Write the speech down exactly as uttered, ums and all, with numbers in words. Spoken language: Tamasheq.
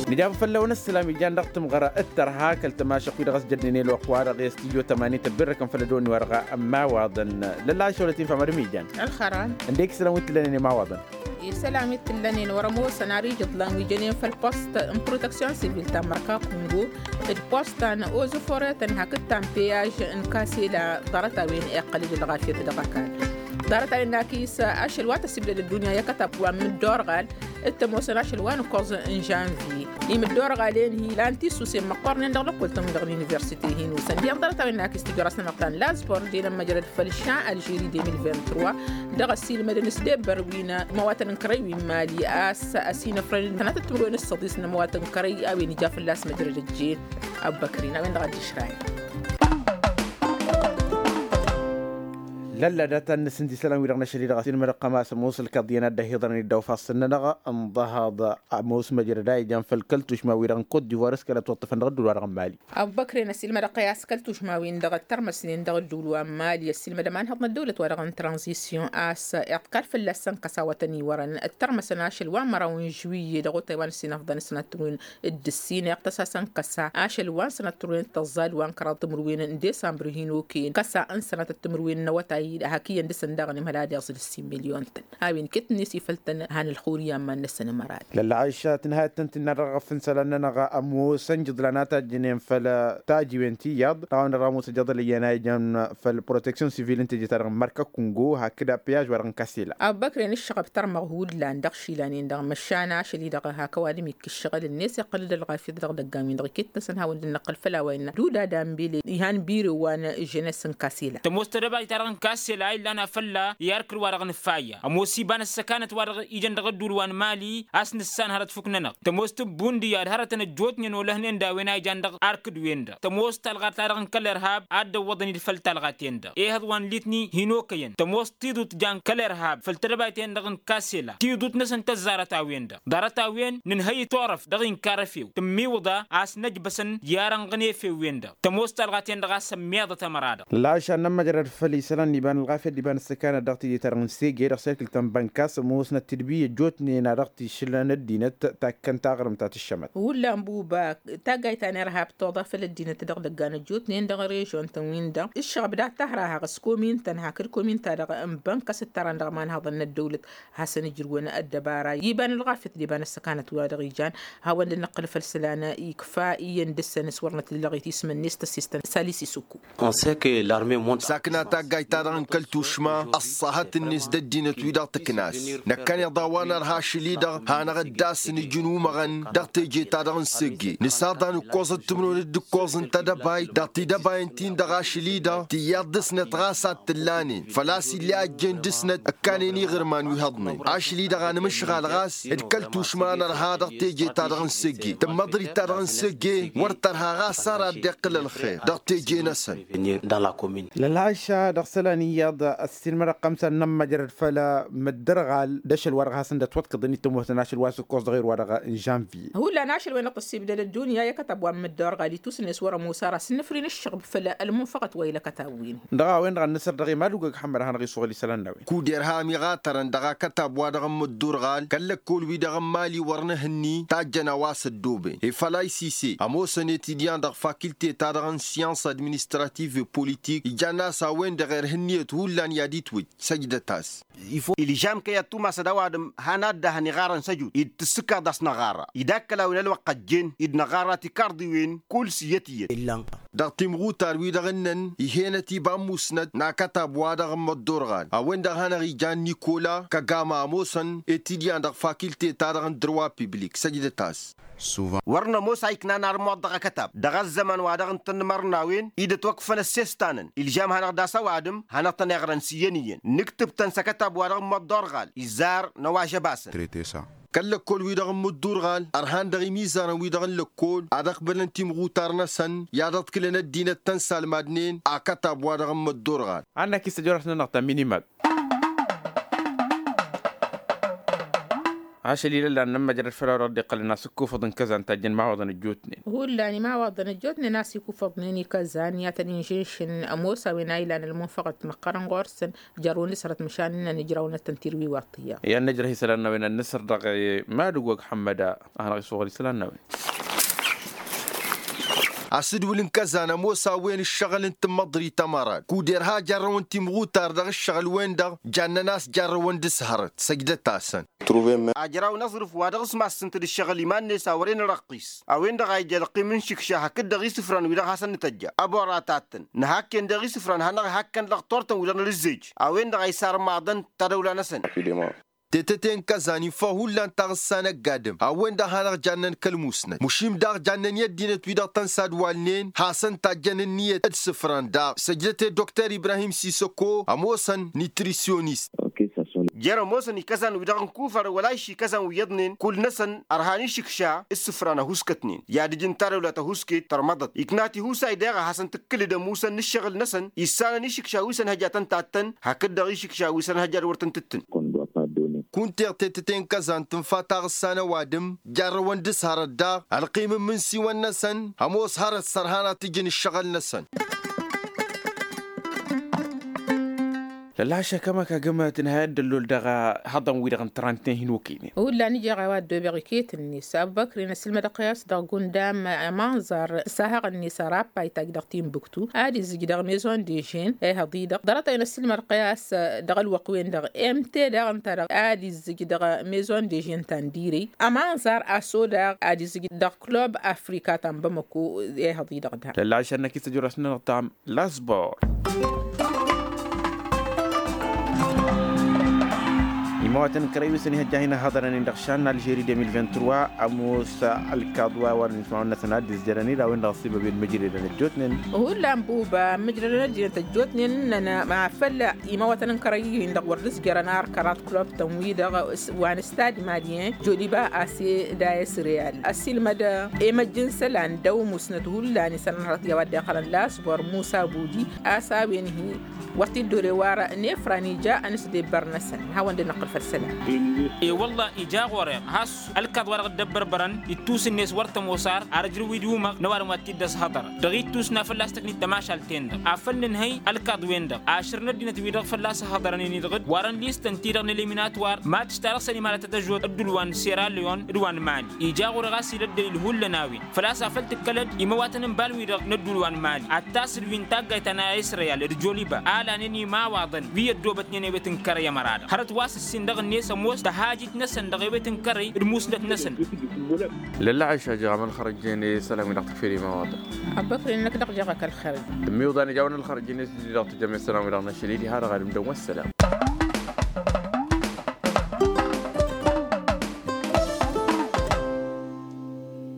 Nǝjabăt făll-awăn ăssălam ijan dăɣ-tǝmɣăra d-tărha kăl-tămašăk-wi-dăɣ s-jăddinen ălwăqq-wa-dăɣ i-studyo tămanin tăbbirrăkăn făll-ăddoon-wi-wărɣa n-imawaḍăn. Lălla ašăwălăt-in fămăr imijăn. Ălxăran. Ǝndek isălan wi t-tǝllănen imawaḍăn. Isălan wi t-tǝllănen wăr-ămoosăn ar ijǝḍlan wi jănen făll-post n-proteksyon sivil ta n-mărka kungo d-post ta n-ozuforetăn hakd ta n-peyaj n-kasela. Ḍarăt-a-wen iqqăl-dd ălɣafyăt dăɣ-ăkall. Ḍarăt-a-wen n-akis ašăl wa tăsibdăd ăddunya i-akătab wa n-mǝdda orɣal. D-tămoosăn ašăl wa n-ǝkkoẓ n-žănvye. Imǝdda orɣal-en hi-ilan tisusen măqqornen dăɣ-lăkkol-tăn-wi-dăɣ n-universite hin-osăn dihen ḍarăt-a-wen n-akis tijăras-nănăɣ ta n-lazpor dăɣ-inămmăjrăd făll-šan aljeri de mil vingt-trois. Dăɣ-ăssiilmădăn s-debbăr wi n-ămăwatăn n-kărăy wi n-mali a-s ăsinăfrăd n-tănatăt timǝrwen s-săḍis n-ămăwatăn n-kărăy a-wen ija fălla-s măjrăd ăjjeen. Ăbbăkărin a-wen dăɣ-ad-dd-išrayăn. Lălla data n-nǝsǝnt isălan-wi-dăɣ n-ašăl-i-dăɣ ăsinmădăɣ kăma s-ămoos ǝlkaḍ iyyăn ad-dd-ăhiḍărăn iddaw fassăn-nănăɣ. Ǝnḍăhăḍ ămoos măjrăd a ijan făll-kăl-tušma-wi-dăɣ n-kot divoir s-kăla ătwăṭṭăfăn dăɣ-ăddul wa dăɣ-n mali. Ăbubăkren ăsilmădăɣ-t i-a-s kăl-tušma-win-dăɣ ăttărmăsnen dăɣ-ăddul wa n-mali ăsilmădăm a ǝnhăḍ n-ăddăwlăt-wa-dăɣ n-tranzisyon a-s iḍkal fălla-săn kăsa wa tăn-iwărăn ăttărmăsăn ašăl wa n-măraw n-žuwiyye dăɣ-otay wa n-ăsinăfḍăn s-sănatăr-win d-ǝssin iɣtăs-asăn kăsa ašăl wa n-sănatăr-win tăẓẓal wa n-kăraḍ timǝrwen n-desambru hin-okăyăn kăsa n-sănatăt timǝrwen n-awătay hak iyyăn dăr-săn daɣ n-imhăl ad-iẓǝl ǝssin milyon-tăn. A-wen iket-net ifăl-tăn han ălxur i-amman-năsăn ămăra-dăɣ. Lălla ašat n-ha tăn-tǝnna dăɣ-ăɣăf n-isălan-nănăɣ ămoosăn jǝḍlan a tajjănen făll-tajiwen ti iyyăḍ dăɣ-a-wen dăɣ-ămoos ăjjăḍăl iyyăn a ijăn făll-proteksyon sivil n-teje-ta-dăɣ n-mărka kungo hakd apiyaj wa-dăɣ n-kasela. Ăbbăkren ǝššăɣăb tărmăɣ hullan dăɣ-išilan-en-dăɣ măšan ašăl-i-dăɣ hak ăwadǝm ikkǝššăɣǝl-net iqqăl-dd ălɣafyăt dăɣ-idăggan-win-dăɣ iket-năsăn hawăn-dd-năqqǝl făll-a-wa innă duda danbele ihan bire wa n-žănes n-kasela. Tămoos tedăbayt-ta-dăɣ n-kasela a illan afălla i-arkǝd wa dăɣ-nǝfayya ămoos iba n-ăssăkanăt wa dăɣ-ijăn dăɣ-ăddul wa n-mali a-s nǝssan hărăt fuk-nănăɣ. Tămoos tǝbbundǝya d-hărătăn ăjjootnen olăhnen d-a-wen a ijan dăɣ-arkǝd-wen-dăɣ tămoos talɣat-ta-dăɣ n-kăl-irhab a dd-ăwwăḍăn-dd făll-talɣaten-dăɣ ehăḍ wa n-litni hin-okăyăn tămoos tiḍut jan kăl-irhab făll-tedăbayten-dăɣ n-kasela tiḍut-năsăn tăzzarăt a-wen-dăɣ. Ḍarăt-a-wen nǝnhăy turăft dăɣ-inkarăfew tǝmmiwǝḍa a-s năjbăsăn i-arănɣăn efew-wen-dăɣ tămoos talɣaten-dăɣ a-s ămmiḍăt ămăra-dăɣ. Lălăɣašan n-ămmăjrăd făll-isălan n-iba n-ălɣafyăt d-iba n-ăssăkanăt dăɣ-teje-ta-dăɣ n-sege dăɣ-serkǝl ta n-bănkas ămoosnăt tǝdbi ăjjootnen a dăɣ-tišǝlăn ăddinăt takkăn taɣrǝmt ta tǝššămăt. Hullan buba taggayt ta n-irhab toḍa făll-ăddinăt dăɣ-idăggan ăjjootnen dăɣ-režon-tăn-win-dăɣ ǝššăɣăb dat-tahra haɣ-s komin-tăn hakd komin-ta-dăɣ n-bănkas d-tăran dăɣ-imanhăḍăn n-ăddăwlăt hasăn-ǝjrǝwăn ăddăbara iba n-ălɣafyăt d-iba n-ăssăkanăt wa dăɣ-ijan. Hawăn-dd-năqqǝl făll-isălan ikfa iyyăn dăr-săn s-wăr năt-dd-lăɣit ismăn-net tăsistăn salis isǝkku. Sakna taggayt-ta-dăɣ n-kăl-tušma ăṣṣahăt-net d-ăddinăt-wi-dăɣ tǝknas. Năkkăneḍ a-wa nărha ašăl-i-dăɣ hanăɣ-dd-asǝnǝj n-umăɣăn dăɣ-teje-ta-dăɣ n-segge nǝsaḍan ǝkkoẓăt timǝrwen d-ǝkkoẓ n-tedăbayt dăɣ-tidăbayăn-tin-dăɣ ašăl-i-dăɣ tiyyăḍ dăr-snăt ɣas a t-tǝllanen făl-a-s ill'-e a ăjjeen dăr-snăt. Ǝkkanen iɣǝrman wi hăḍnen ašăl-i-dăɣ anmǝšɣal ɣas d-kăl-tušma a nărha dăɣ-teje-ta-dăɣ n-segge tǝmmăḍrit-ta-dăɣ n-segge wăr tărha ɣas ar ad-dd-iqqǝl ălxer dăɣ-teje-năsăn. Lălhaša dăɣ-isălan iyyăḍ ăssiilmădăɣ xămsa n-inămmăjrăd făll-măddărɣal d-ašăl wa dăɣ-hasăn-dd-ătwăḍkăḍăn itămoosăn ašăl wa s-ǝkkoẓ dăɣ-erwa-dăɣ n-žănvye. Hullan ašăl-wen-dăɣ tăssibdăd ăddunya i-akătab wa n-măddărɣal itusǝnnes wăr-ămoos ara s-innăfrin ǝššăɣb făll-ălmunfăɣăt wa ila kătab-win-hi. Dăɣ-a-wen-dăɣ ad-nǝsăr dăɣ-i madugăg ăḥmăd ad-hanăɣ-isoɣăl isălan n-a-wen. Kud-irham iɣatărăn dăɣ-akătab-wa-dăɣ n-măddurɣal kăl-lăkkol-wi-dăɣ n-mali wăr nǝhǝnni tajjăn a-wa s-ăddooben efăl a isise ămoosăn etidyan dăɣ-fakilte-ta-dăɣ n-syans administrativ e-politik ijann'-as a-wen-dăɣ irha ǝnniyăt hullan i-ad-itwǝjj. Săjdăt-as. Ilžam kăy-ad-tumasăd ăwadǝm han ad-dăhăn iɣarăn s-ăjut-i d-tǝssǝkaḍ a-s năɣarra-i d-akkăl a-wen ălwăqq ăjjeen-i d-năɣarra tikarḍiwen kull s-iyyăt-iyyăt. Dăɣ-timɣutar-wi-dăɣ ǝnnăn ih'-enăt iba n-musnăt n-akătab-wa-dăɣ n-măddorɣal a-wen-dăɣ a hanăɣ-ijan nikola kăgama ămoosăn etidyan dăɣ-fakilte-ta-dăɣ n-dărwa piblik săjdăt-as. Wăr nămoos a iknan armuḍ dăɣ-akătab dăɣ-ăzzăman wa dăɣ-ǝntănmărnawen-i d-ătwăkfăn ăssestanăn ilžam hanăɣ-dd-asăwadǝm hanăɣ-tăn-iɣrăn s-iyyăn iyyăn nǝktǝb-tăn s-akătab-wa-dăɣ n-măḍḍorɣal izzar n-ăwažăbasăn. Kăl-lăkkol-wi-dăɣ n-măddurɣal ărhan dăɣ-imizărăn-wi-dăɣ n-lăkkol ad-ăqbălăn timɣutar-năsăn i-ad-ăḍkǝlăn ăddinăt tăn-salmadnen akătab-wa-dăɣ n-măddurɣal. Ad-năkis tăjorăt-nănăɣ ta n-minimad. Ašăl ilăllan n-ămmăjrăd făll-a-wa dăɣ-dd-iqqălăn a-s ǝkkufăḍ n-kăzan tajjăn imawaḍăn ăjjootnen. Hullan imawaḍăn ăjjootnen a-s ikufăḍnen i-kăzan i-ad-tăn-inžǝnšǝn ămoos a-wen a ilan ălmunfăɣăt ti-măqqărăn ɣur-săn. Jer-wăn dd-sărăt măšan n-ijrawăn ad-tăn-tirwiwaḍ tiyyăḍ. I-ad-nǝjrăh isălan n-a-wen ad-nǝsărdăɣ. Madǝg wăgg ḥămmăda a hanăɣ-iswăɣăl isălan n-a-wen. A-s dd-wǝlǝn kăzan ămoos a-wen ǝššăɣǝl n-tǝmmăḍrit ămărad kud-irha jarrăwăn timɣutar dăɣ-ǝššăɣǝl-wen-dăɣ. Jannăn a-s jarrăwăn d-s hărăt săjdăt-asăn. Ajraw n-aẓrǝf wa dăɣ-s massǝntăd ǝššăɣǝl iman-net a wăren răqqis a-wen-dăɣ a ija ălqim n-išǝkša hakd-dăɣ isǝfran wi-dăɣ hasăn-nǝtăjja ăbora tattăn. Nǝhakken daɣ isǝfran hanăɣ-ihakkăn dăɣ-turtăn wi-dăɣ n-ălǝzzej a-wen-dăɣ a isarmaḍăn tadăwla-năsăn. Tetăte n-kăzan iffăɣ hullan taɣǝssa n-ăgg-adǝm a-wen-dăɣ hanăɣ-jannen kăl-musnăt măšim daɣ jannen i-ăddinăt wi-dăɣ tăn-sadwalnen hasăn-tajjăn ǝnniyăt d-isǝfran daɣ săjdăt i-dokter ibrahim sisăko ămoosăn nitrisyonist. Jer-ămoosăn ikăzan wi-dăɣ n-kufăr wăla išikăzan wi iyyăḍnen kull-năsăn ărhan išǝkša s-isǝfran ăhuskătnen i-ad-ǝjǝn tadăwla tăhuske tărmăḍăt ikna tihusay daɣ a hasăn-tǝkkǝlǝd ămusăn n-ǝššăɣǝl-năsăn issanăn išǝkša wi s-ănhăjatăn tattăn hakd-dăɣ išǝkša wi s-ănhăjad wăr tăn-tǝttǝn. Kunteɣ tetăte n-kăzan tǝnfa taɣǝssa n-ăwadǝm jarrăwăn d-s hărăt daɣ ălqim n-imǝnsiwăn-năsăn ămoos hărăt s-ărhan ad-t-ǝjǝn ǝššăɣǝl-năsăn. Lălla ašăk ămăk agǝm tǝnhăyăt d-ăllol dăɣ-ihăḍăn-wi-dăɣ n-trănten hin-okăynen. Hullan ija ɣawa ăddoobeɣ iket-net abubăkrin ăssilmădăɣ-t i-a-s dăɣ-gundam ămanẓar s-ahăɣ-net ărappa itajj dăɣ-tinbuktu ad-izzǝj dăɣ-maison de žen. Ehăḍ-i-dăɣ ḍarăt-en ăssilmădăɣ-t i-a-s dăɣ-ălwăqq-wen-dăɣ mt dăɣ-ǝnta-dăɣ ad-izzǝj dăɣ-maison de žen ta n-direy. Ămanẓar a-s odăɣ ad-izzǝj dăɣ-club afrika ta n-bamăko. Ehăḍ-i-dăɣ da. Lălla ašăl n-akis ăjorasnănăɣ tam lasbor. Imawatăn n-kărăy wi s-ănihăjja hin-ăhhăḍărăn-in dăɣ-išan n-alžeri de mil vingt-trois ămoos ălkaḍ wa wărăn ismawăn-năsăn ad-dd-izjărăn-dd a-wen-dăɣ s-ibăben mǝjredăn ăjjootnen. Hullan buba mǝjredăn ăddinăt ăjjootnen ǝnnăn ma făl imawatăn n-kărăy-in-dăɣ wăr dd-izjărăn ar kăraḍ klub-tăn-wi-dăɣ wa n-stad malyen joliba a-s e dayes real ăsilmăd. Emăjj n-isălan d-awǝmusnăt hullan isălan hărăt i-a-wa dd-iqqălăn lasbor musa budi a-s a-wen-hi. Wăr t-dd-ore warăn efran ija ănǝsdebbăr-năsăn. Hawăn-dd-năqqǝl făll-isălan. E-wălla ija ɣur-e has ălkaḍ wa dăɣ-dd-ăbbărbărăn ittus-net wăr tămoos ar ar ǝjrǝw-dd umăɣ n-ăwadǝm wa t-dd-ăshăḍărăn dăɣ-ittus n-afăl a-s tăknit tămašalt-en-dăɣ afăl nǝnhăy ălkaḍ-wen-dăɣ ašăr n-ăddinăt-wi-dăɣ fălla-s ăhhăḍărăn-in-dăɣ d-warăn listăn-ti-dăɣ n-eliminat war matš ta dăɣ-săn imalătăt ăžot ădduul wa n-sera leon d-wa n-mali. Ija ɣur-e ɣas ila ăddălil hullan a-wen făl-a-s afăl tǝkkălăd imăwatăn n-iban-wi-dăɣ n-ădduul wa n-mali ad-tasǝl wi n-taggayt ta n-israyal d-joliba a lanen imawaḍăn wi ăddoobătnen ewet n-kărăy ămăra-dăɣ hărăt wa s-ǝssin dăɣ-net ămoos tăhajit-năsăn dăɣ-ewet n-kărăy d-musnăt-năsăn. Lălla ašăl jăɣ amăn xărăjjen i-isălan wi dăɣ-tǝkfel imawaḍăn. Abbăkre-năk dăɣ-jăɣ akăl xărăj. Tǝmmiwḍan ija a-wen ălxărăjjen i-s dd-dăɣ-tǝjăm i-isălan wi dăɣ-năšăl-i diha dăɣ-ad-ǝmdăn wa s-sălam.